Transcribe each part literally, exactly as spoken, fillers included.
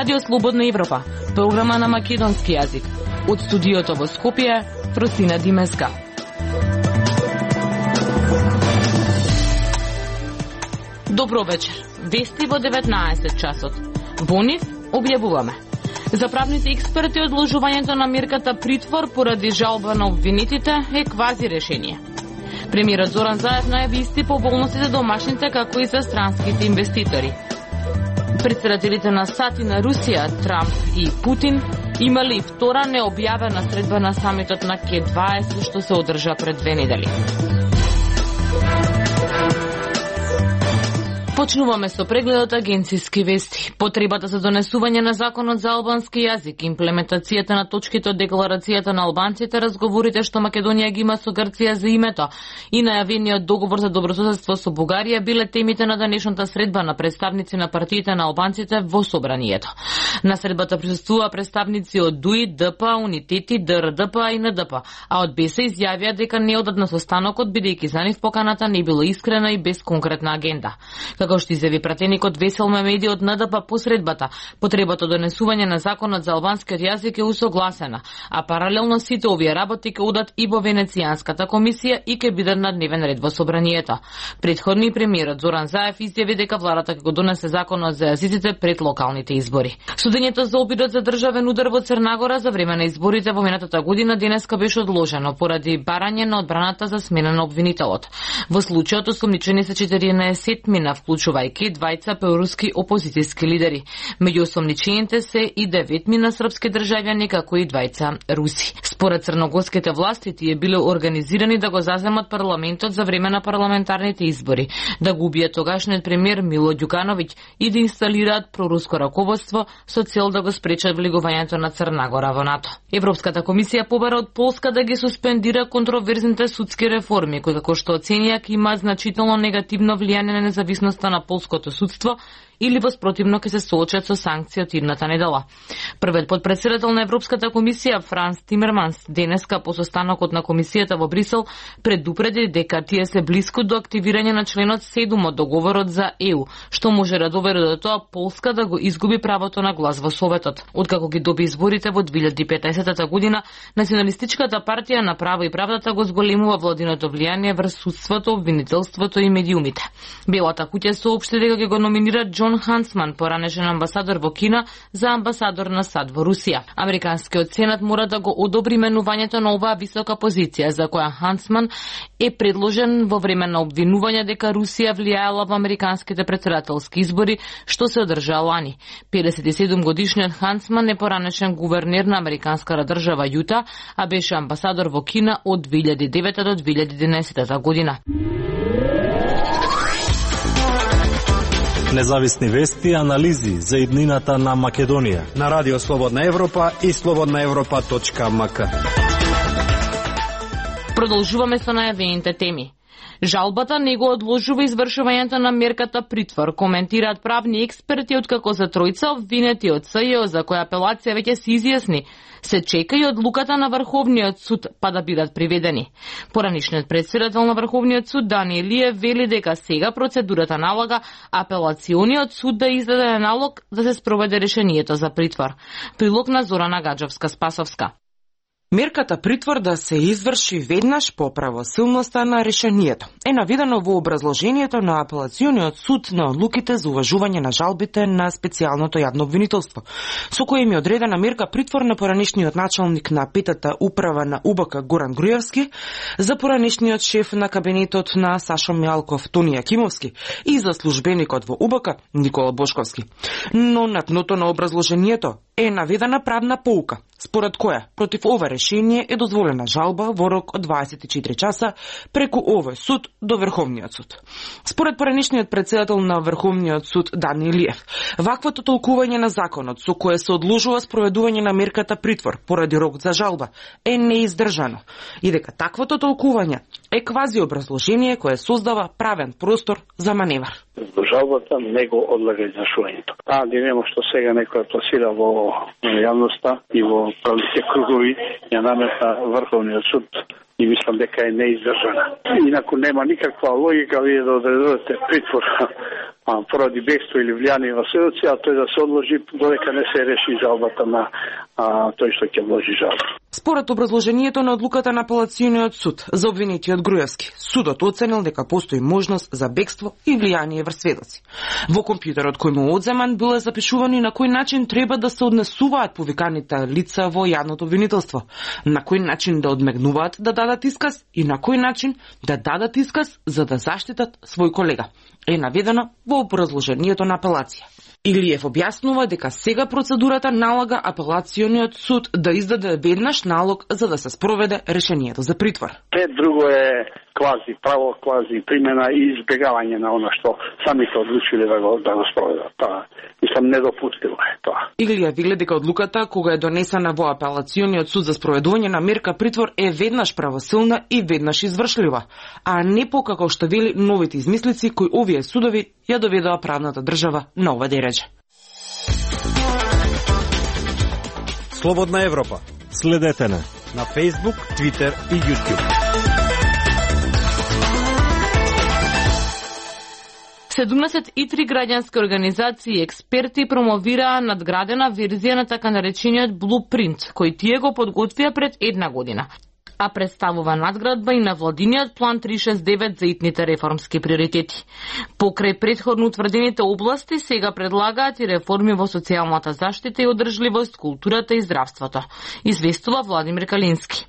Радио Слободна Европа, програма на македонски јазик. Од студиото во Скопје, Фросина Димеска. Добро вечер. Вести во деветнаесет часот. Во нив објавуваме. За правните експерти одложувањето на мерката притвор поради жалба на обвинетите е квази решение. Премиерот Зоран Заев најави исти поволности за домашните како и за странските инвеститори. Председателите на САД и на Русија, Трамп и Путин, имали втора необјавена средба на самитот на Ке дваесет што се одржа пред две недели. Почнуваме со прегледот агенциски вести. Потребата за донесување на законот за албански јазик, имплементацијата на точките од декларацијата на албанците, разговорите што Македонија ги има со Грција за името и најавениот договор за добрососедство со Бугарија биле темите на денешната средба на представници на партиите на албанците во собранието. На средбата присуствува представници од ДУИ, ДП, Унитети, ДРДП и НДП, а од БЕСА изјавија дека не одат на состанокот бидејќи за нив поканата не била искрена и без конкретна агенда. Како што изјави пратеникот Весел Мемеди од НДП по средбата, потребата донесување на законот за албанскиот јазик е усогласена, а паралелно сите овие работи ќе одат и во Венецијанската комисија и ќе бидат на дневен ред во собранието. Предходни премиерот Зоран Заев изјави дека владата ќе го донесе законот за јазиците пред локалните избори. Судењето за обидот за државен удар во Црнагора за време на изборите во минатата година денеска беше одложено поради барање на одбраната за смена на обвинителот. Во случајот осомничени се четиринаесеттмина, вклучувајќи двајца проруски опозицијски лидери. Меѓу осомничените се и деветмина српски државјани, како и двајца руси. Според црногорските власти, тие биле организирани да го заземат парламентот за време на парламентарните избори, да го убијат тогашниот премиер Мило Ѓукановиќ и да инсталираат проруско раководство со цел да го спречат влегувањето на Црнагора во НАТО. Европската комисија побара од Полска да ги суспендира контроверзните судски реформи, кои како што оценија ќе има значително негативно влијание на независноста на полското судство или воспротивно ќе се соочат со санкции од идната недела. Првиот потпредседател на Европската комисија Франс Тимерманс денеска по состанокот на комисијата во Брисел предупреди дека тие се блиску до активирање на членот седум од договорот за Е У, што може да доведе до тоа Полска да го изгуби правото на глас во Советот. Откако ги доби изборите во две илјади и петнаесета година, Националистичката партија на право и правдата го зголемува владиното влијание врз судството, обвинителството и медиумите. Белата куќа соопшти дека ќе го номинира Џон Хансман, поранешен амбасадор во Кина, за амбасадор на САД во Русија. Американскиот сенат мора да го одобри менувањето на оваа висока позиција, за која Хансман е предложен во време на обвинување дека Русија влијаела во американските председателски избори, што се одржаа лани. педесет и седум годишниот Хансман е поранешен гувернер на американската држава Јута, а беше амбасадор во Кина од две илјади и девета до две илјади и единаесета година. Независни вести и анализи за иднината на Македонија на Радио Слободна Европа и слободна европа точка ем ка. Продолжуваме со најавените теми. Жалбата не го одложува извршувањето на мерката притвор, коментираат правни експерти, откако за тројца обвинети од С Ј О, за која апелација веќе се изјасни, се чека и одлуката на Врховниот суд па да бидат приведени. Поранишниот председател на Врховниот суд Дани Илиев вели дека сега процедурата налага апелациониот суд да издаде налог да се спроведе решението за притвор. Прилог на Зорана Гаджовска-Спасовска. Мерката притвор да се изврши веднаш по правосилноста на решението е наведено во образложението на апелациониот суд на одлуките за уважување на жалбите на специјалното јавно обвинителство, со кој им е одредена мерка притвор на поранишниот началник на петата управа на У Б К Горан Груевски, за поранишниот шеф на кабинетот на Сашо Мјалков Тони Јакимовски и за службеникот во У Б К Никола Бошковски. Но на дното на образложението е наведена правна поука, според која против ова решение е дозволена жалба во рок од дваесет и четири часа преку овој суд до Врховниот суд. Според поранишниот председател на Врховниот суд Дани Илиев, ваквото толкување на законот со кое се одложува спроведување на мерката притвор поради рок за жалба е неиздржано и дека таквото толкување е квази образложение кое создава правен простор за маневар. Жалбата не го одлага извршувањето. А, нема што сега некој пласира во во јавноста и во правните кругови ја наметна Врховниот суд и мислам дека е неиздржана. Инаку нема никаква логика вие да одредувате притвор поради бегство или влијание во сведоци, а тој да се одложи додека не се реши жалбата на а, тој што ќе вложи жалба. Според образложението на одлуката на апелациониот суд за обвинетиот Груевски, судот оценил дека постои можност за бегство и влијание врз сведоци. Во компјутерот кој му одземан било запишувано на кој начин треба да се однесуваат повиканите лица во јавното обвинителство, на кој начин да одмегнуваат да дадат исказ и на кој начин да дадат исказ за да заштитат свој колега. Е наведено во образложението на апелација. Илиев објаснува дека сега процедурата налага апелациониот суд да издаде веднаш налог за да се спроведе решението за притвор. Се друго е квази право, квази примена и избегавање на она што самите одлучиле да го, да го спроведат. Тоа мислам недопустимо е тоа. Илија вели дека одлуката кога е донесена во апелациониот суд за спроведување на мерка притвор е веднаш правосилна и веднаш извршлива, а не покако што вели новите измислици кои овие судови ја доведоа правната држава на ова дередже. Слободна Европа. Следете на на Facebook, Twitter и YouTube. седумдесет и три граѓански организации и експерти промовираа надградена верзија на така наречениот Blueprint, кој тие го подготвија пред една година, а представува надградба и на владиниот план триста шесто и девет за итните реформски приоритети. Покрај претходно утврдените области, сега предлагаат и реформи во социјалната заштита и одржливост, културата и здравството, известува Владимир Калински.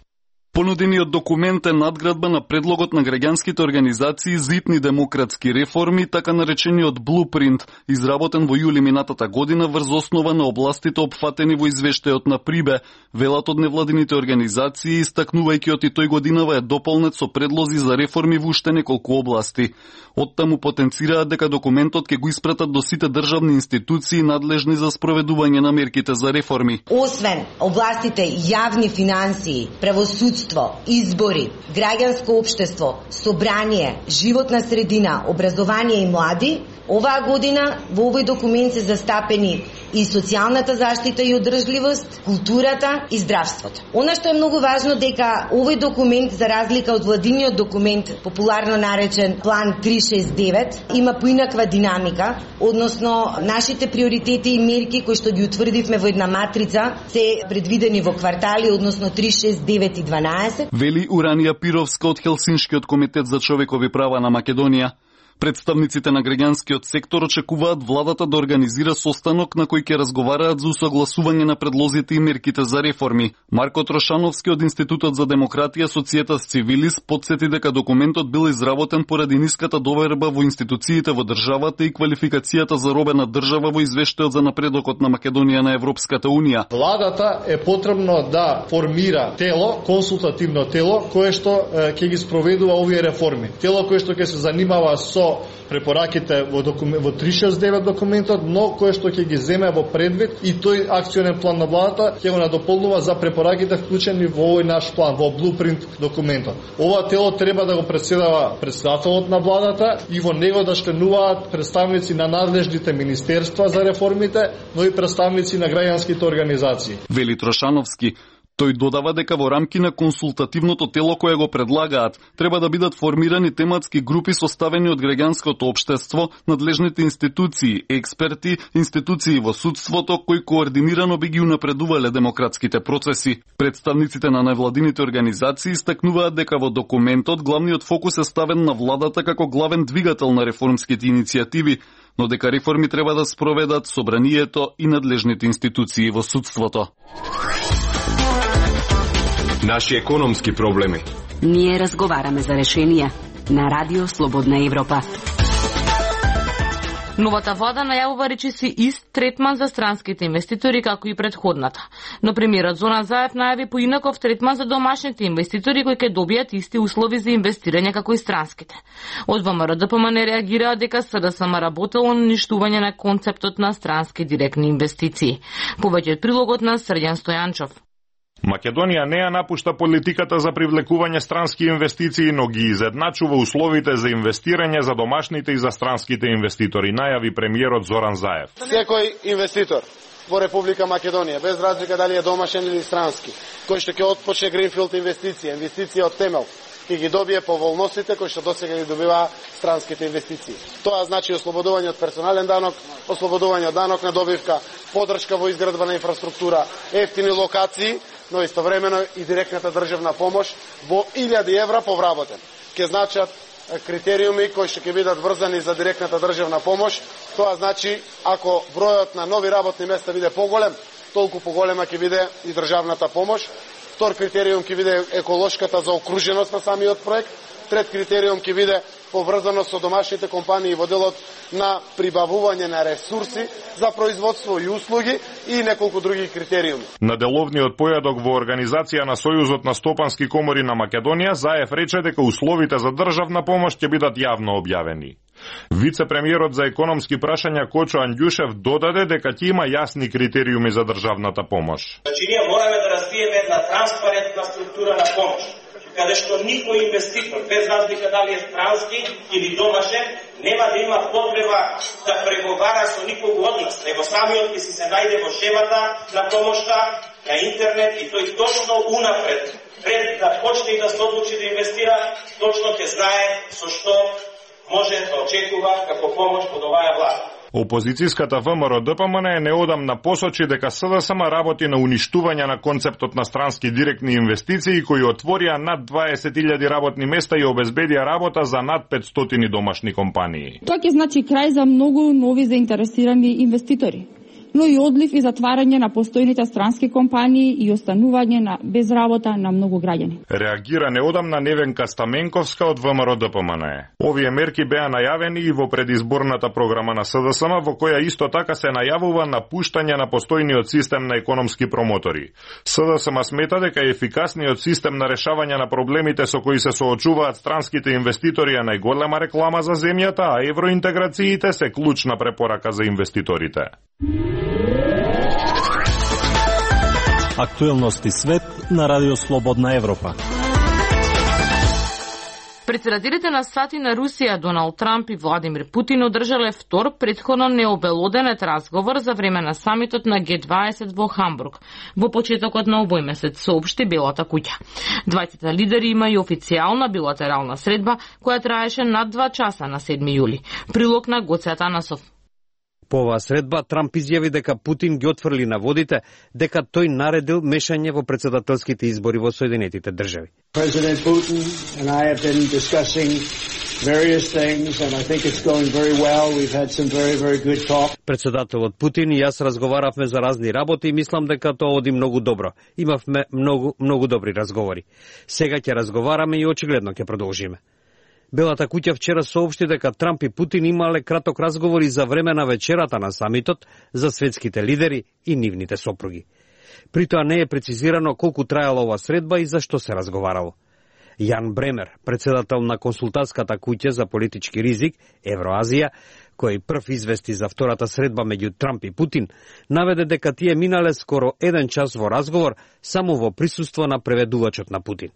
Понудениот документ е надградба на предлогот на граѓанските организации за итни демократски реформи, така наречениот Blueprint, изработен во јули минатата година врз основа на областите опфатени во извештајот на Прибе, велат од невладините организации, истакнувајќи од и тој годинава е дополнет со предлози за реформи во уште неколку области. Оттаму потенцираат дека документот ќе го испратат до сите државни институции надлежни за спроведување на мерките за реформи. Освен областите јавни финансии, правосудство, избори, граѓанско општество, собрание, животна средина, образование и млади, оваа година во овој документ се застапени и социјалната заштита и одржливост, културата и здравството. Она што е многу важно дека овој документ, за разлика од владиниот документ, популарно наречен план триста шесто и девет, има поинаква динамика, односно нашите приоритети и мерки кои што ги утврдивме во една матрица се предвидени во квартали, односно триста шесто, девет и дванаесет. Вели Уранија Пировска од Хелсиншкиот комитет за човекови права на Македонија. Представниците на граѓанскиот сектор очекуваат владата да организира состанок на кој ќе разговараат за усогласување на предлозите и мерките за реформи. Марко Трошановски од Институтот за демократија Societas Civilis подсети дека документот бил изработен поради ниската доверба во институциите во државата и квалификацијата за робена држава во извештајот за напредокот на Македонија на Европската Унија. Владата е потребно да формира тело, консултативно тело, кое што ќе ги спроведува овие реформи. Тело кое што ќе се занимава со препораките во, документ, во триста шесто и девет документот, но кое што ќе ги земе во предвид и тој акционен план на владата ќе го надополнува за препораките вклучени во овој наш план, во Blueprint документот. Ова тело треба да го председава председателот на владата и во него да членуваат представници на надлежните министерства за реформите, но и представници на граѓанските организации. Вели Трошановски. Тој додава дека во рамки на консултативното тело кое го предлагаат, треба да бидат формирани тематски групи составени од граѓанското општество, надлежните институции, експерти, институции во судството кои координирано би ги унапредувале демократските процеси. Представниците на невладините организации истакнуваат дека во документот главниот фокус е ставен на владата како главен двигател на реформските иницијативи, но дека реформи треба да спроведат собранието и надлежните институции во судството. Наши економски проблеми. Ние разговараме за решенија на Радио Слободна Европа. Новата влада најавува речиси ист третман за странските инвеститори како и предходната. Но премиерот Зоран Заев најави поинаков третман за домашните инвеститори кои ќе добијат исти услови за инвестирање како и странските. Од ВМРО Д П М не реагираа дека С Д С М работело на уништување на концептот на странски директни инвестиции. Повеќе од прилогот на Срđan Стојанчов. Македонија не ја напушта политиката за привлекување странски инвестиции, но ги изедначува условите за инвестирање за домашните и за странските инвеститори, најави премиерот Зоран Заев. Секој инвеститор во Република Македонија, без разлика дали е домашен или странски, кој што ќе отпочне гринфилд инвестиција, инвестиција од темел, ќе ги добие поволностите кои што досега ги добиваа странските инвестиции. Тоа значи ослободување од персонален данок, ослободување од данок на добивка, подршка во изградба на инфраструктура, ефтини локации, но истовремено и директната државна помош во илјади евра по вработен. Ке значат критериуми кои што ќе бидат врзани за директната државна помош. Тоа значи, ако бројот на нови работни места биде поголем, толку поголема ќе биде и државната помош. Втор критериум ќе биде еколошката заокруженост на самиот проект. Трет критериум ќе биде поврзаност со домашните компании во делот на прибавување на ресурси за производство и услуги и неколку други критериуми. На деловниот појадок во организација на Сојузот на стопански комори на Македонија, Заев рече дека условите за државна помош ќе бидат јавно објавени. Вице-премиерот за економски прашања Кочо Андјушев додаде дека ќе има јасни критериуми за државната помош. Значи ние мораме да развиеме една транспарентна структура на помош, каде што никој инвеститор, без разлика дали е странски или домашен, нема да има потреба да преговара со никого од нас, него самиот ќе си се најде во шемата на помошта на интернет и тој точно унапред, пред да почне да се одлучи да инвестира, точно ќе знае со што може да очекува како помош од оваа власт. Опозицијската ВМРО-ДПМН е неодамна посочи дека СДСМ работи на уништување на концептот на странски директни инвестиции кои отворија над дваесет илјади работни места и обезбедија работа за над петстотини домашни компании. Тоа ќе значи крај за многу нови заинтересирани инвеститори, но и одлив и затварање на постојните странски компании и останување на без работа на многу граѓани. Реагира неодамна Невенка Стаменковска од ВМРО-ДПМН. Овие мерки беа најавени и во предизборната програма на СДСМ, во која исто така се најавува напуштање на постојниот систем на економски промотори. СДСМ смета дека ефикасниот систем на решавање на проблемите со кои се соочуваат странските инвеститори е најголема реклама за земјата, а евроинтеграциите се клучна препорака за инвеститорите. Актуелности свет на Радио Слободна Европа. Председателите на САД и на Русија Доналд Трамп и Владимир Путин одржале втор претходно необелоденет разговор за време на самитот на Г дваесет во Хамбург. Во почетокот на овој месец соопшти Белата куќа. Двајцата лидери имају официјална билатерална средба која траеше над два часа на седми јули. Прилог на Гоце Атанасов. По оваа средба Трамп изјави дека Путин ги отфрли наводите дека тој наредил мешање во претседателските избори во Соединетите држави. President Putin and I have been discussing various things and I think it's going very well. We've had some very very good talk. Председателот Путин и јас разговаравме за разни работи и мислам дека тоа оди многу добро. Имавме многу многу добри разговори. Сега ќе разговараме и очигледно ќе продолжиме. Белата куќа вчера соопшти дека Трамп и Путин имале краток разговори за време на вечерата на самитот за светските лидери и нивните сопруги. При тоа не е прецизирано колку трајала ова средба и за што се разговарало. Јан Бремер, председател на консултантската куќа за политички ризик Евроазија, кој прв извести за втората средба меѓу Трамп и Путин, наведе дека тие минале скоро еден час во разговор само во присуство на преведувачот на Путин.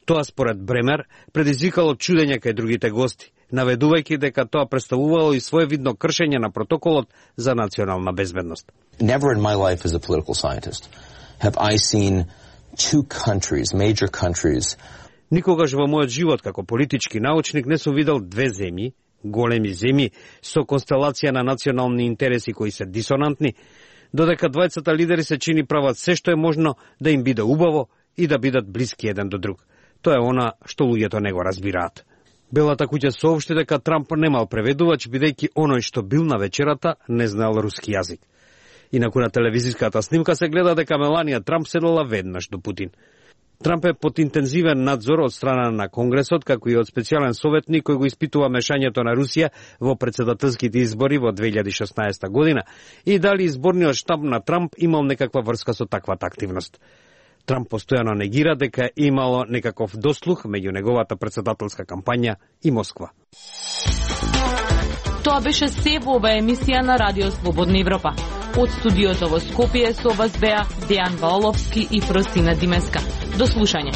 Тоа според Бремер предизвикало чудење кај другите гости, наведувајќи дека тоа представувало и своевидно кршење на протоколот за национална безбедност. Never in my life as a political scientist have I seen two countries, major countries. Никогаш во мојот живот како политички научник не сум видел две земји, големи земји со констелација на национални интереси кои се дисонантни, додека двајцата лидери се чини прават се што е можно да им биде убаво и да бидат блиски еден до друг. Тоа е она што луѓето не го разбираат. Белата куќа соопшти дека Трамп немал преведувач, бидејќи оној што бил на вечерата не знаел руски јазик. Инаку на телевизиската снимка се гледа дека Меланија Трамп седела веднаш до Путин. Трамп е под интензивен надзор од страна на Конгресот, како и од специјален советник кој го испитува мешањето на Русија во претседателските избори во две илјади и шеснаесета година и дали изборниот штаб на Трамп имал некаква врска со таквата активност. Трамп постојано негира дека имало некаков дослух меѓу неговата претседателска кампања и Москва. Тоа беше се во оваа емисија на Радио Слободна Европа. Од студиото во Скопје со вас беа Дејан Валовски и Фросина Димеска. До слушање.